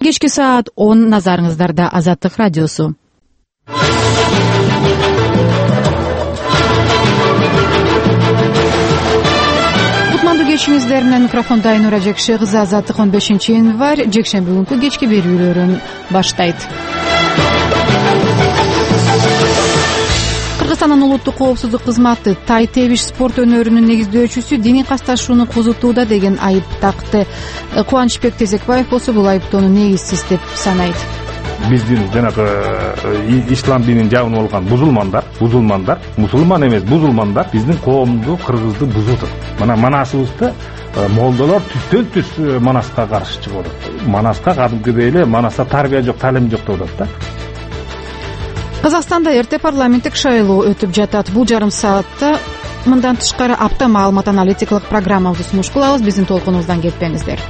Кечки саат 10 назарыңыздарда Азаттык радиосу. Кутмандуу кечиңиздер менен микрофонда Айнура Жекше кызы. Азаттык 15-январь жекшемби күнкү кечки берүүлөрүн баштайт. Кыргызстандын улуттук коопсуздук кызматы тай тебиш спорт өнөрүнүн негиздөөчүсү диний касташууну козутууда деген айып такты. Кубанычбек Тезекбаев болсо бул айыптоону негизсиз деп санайт. Биздин жанагы ислам динин жабынып алган мусулмандар, мусулман эмес бузулмандар биздин коомду, кыргызды бузуп атат. Мына Манасыбызды молдолор түстөн-түз Манаска каршы чыгып атат. Манаска кадимкидей эле Манаста тарбия жок, талим жок деп атат да. Казакстанда эрте парламенттик шайлоо өтүп жатат. Бул жарым саатта мындан тышкары апта маалымат аналитикалык программабызды сунуш кылабыз. Биздин толкунубуздан кетпеңиздер.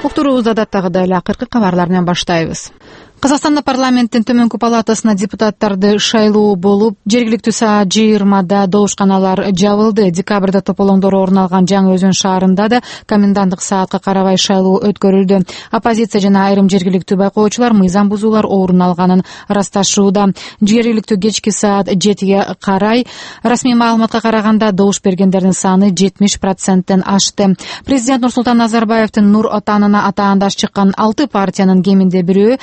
Уктуруубузду адаттагыдай эле акыркы кабарлар менен баштайбыз. Казакстанда парламенттин төмөнкү палатасына депутаттарды шайлоо болуп, жергиликтүү саат 20-да добушканалар жабылды. Декабрда тополоңдор орун алган Жаңы Өзөн шаарында да коменданттык саатка карабай шайлоо өткөрүлдү. Оппозиция жана айрым жергиликтүү байкоочулар мыйзам бузуулар орун алганын ырасташууда. Жергиликтүү кечки саат 7-ге карай расмий маалыматка караганда добуш бергендердин саны 70%тен ашты. Президент Нурсултан Назарбаевдин Нур Отанына атаандаш чыккан 6 партиянын кеминде бирөө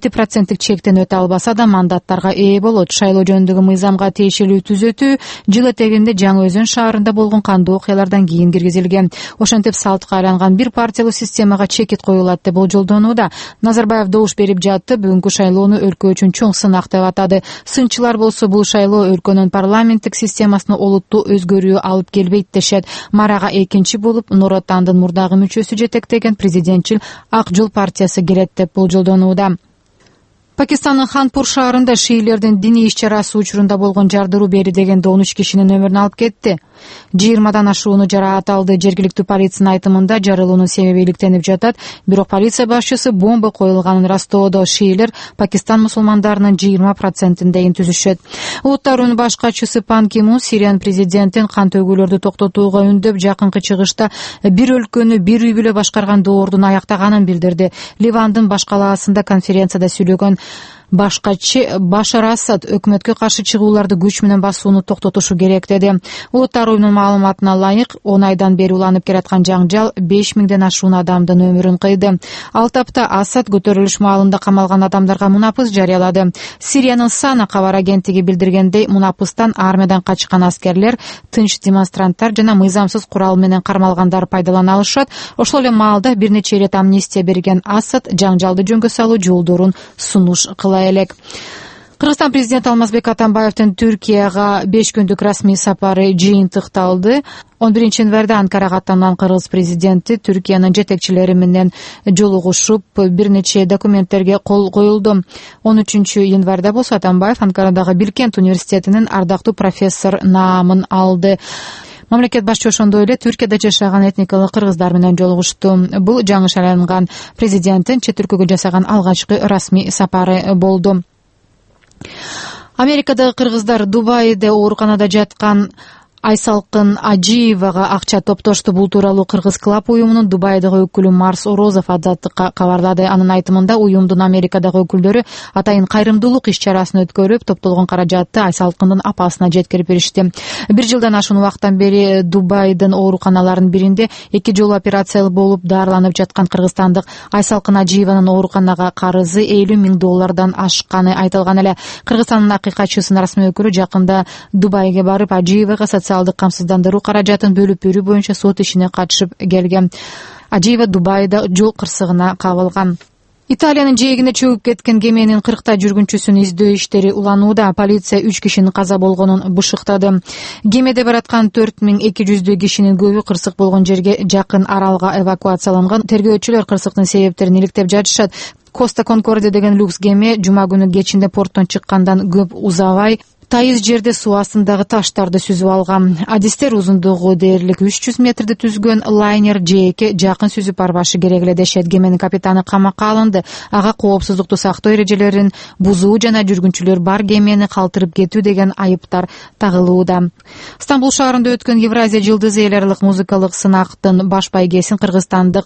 7% чектен өтө албаса да мандаттарга ээ болот. Шайлоо жөнүндөгү мыйзамга тиешелүү түзөтүү жыл этегинде Жаңы Өзөн шаарында болгон кандуу окуялардан кийин киргизилген. Ошентип салтка айланган бир партиялуу системага чекит коюлат деп болжолдонууда. Назарбаев добуш берип жатты. Бүгүнкү шайлоону өлкө үчүн чоң сынак деп атады. Сынчылар болсо бул шайлоо өлкөнүн парламенттик системасына олуттуу өзгөрүү алып келбейт дешет. Марага экинчи болуп Нур Отандын мурдагы мүчөсү жетектеген президентчил Ак жол партиясы келет деп болжолдонууда. Пакистандын Ханпур шаарында шиилердин диний иш-чарасы учурунда болгон жардыруу бери дегенде 13 кишинин өмүрүн алып кетти. 20-дан ашууну жарааталды. Жергиликтүү полициянын айтымында жарылуунун себеби иликтенип жатат. Бирок полиция башчысы бомба коюлганын ырастоодо. Шиилер Пакистан мусулмандарынын 20%-дейин түзүшөт. Улуттар уюмунун баш катчысы Пан Ки Мун Сириянын президентин кан төгүүлөрдү токтотууга үндөп, жакынкы чыгышта бир өлкөнү бир үй бүлө башкарган доордун аяктаганын билдирди. Ливандын баш калаасында конференцияда сүйлөгөн баш катчы Башар Асад өкмөткө каршы чыгууларды күч менен басууну токтотушу керек деди. Улуттар уюмунун маалыматына ылайык 10 айдан бери уланып келаткан жаңжал 5000ден ашуун адамдын өмүрүн кыйды. Ал тапта Асад көтөрүлүш маалында камалган адамдарга мунапыс жарыялады. Сириянын Сана кабар агенттиги билдиргендей, мунапыстан армиядан качкан аскерлер, тынч демонстранттар жана мыйзамсыз курал менен кармалгандар пайдалана алышат. Ошол эле маалда бир нече ирет амнистия берген Асад жаңжалды жөнгө салуу жолдорун сунуш кыла элек. Кыргызстан президенти Алмазбек Атамбаевдин Түркияга 5 күндүк расмий сапары жыйынтыкталды. 11 январда Анкарага аттанган кыргыз президенти Түркиянын жетекчилери менен жолугушуп, бир нече документтерге кол коюлду. 13 январда болсо Атамбаев Анкарадагы Билкент университетинин ардактуу профессор наамын алды. Мамлекет башчысы ошондой эле Түркияда жашаган этникалык кыргыздар менен жолугушту. Бул жаңы шайланган президенттин чет өлкөгө жасаган алгачкы расмий сапары болду. Америкадагы кыргыздар Дубайда ооруканада жаткан Айсалкын Ажиевага акча топтошту. Бул тууралуу Кыргыз клаб уюмунун Дубайдагы өкүлү Марс Орозов Азаттыкка кабарлады. Анын айтымында уюмдун Америкадагы өкүлдөрү атайын кайрымдуулук иш-чарасын өткөрүп, топтолгон каражатты Айсалкындын апасына жеткирип беришти. Бир жылдан ашуун убакыттан бери Дубайдын ооруканаларынын биринде 2 жолу операция болуп дарыланып жаткан кыргызстандык Айсалкын Ажиеванын ооруканага карызы $50,000 ашканы айтылган эле. Кыргызстандын акыйкатчысынын расмий өкүлү жакында Дубайга барып Ажиевага социалдык камсыздандыруу каражатын бөлүп берүү боюнча сот ишине катышып келген. Ажиева Дубайда жол кырсыгына кабылган. Италиянын жээгине чөгүп кеткен кеменин 40 жүргүнчүсүн издөө иштери уланууда. Полиция 3 кишинин каза болгонун бышыктады. Кемеде бараткан 4200 кишинин көбү кырсык болгон жерге жакын аралга эвакуацияланган. Тергөөчүлөр кырсыктын себептерин иликтеп жатышат. Коста Конкордия деген люкс кеме жума күнү кечинде порттон чыккандан көп узабай тайыз жерде суу астындагы таштарды сүзүп алган. Адистер узундугу дээрлик 300 метрди түзгөн лайнер жээкке жакын сүзүп барбашы керек эле дешет. Кеменин капитаны камакка алынды. Ага коопсуздукту сактоо эрежелерин бузуу жана жүргүнчүлөр бар кемени калтырып кетүү деген айыптар тагылууда. Стамбул шаарында өткөн Евразия жылдызы эл аралык музыкалык сынактын баш байгесин кыргызстандык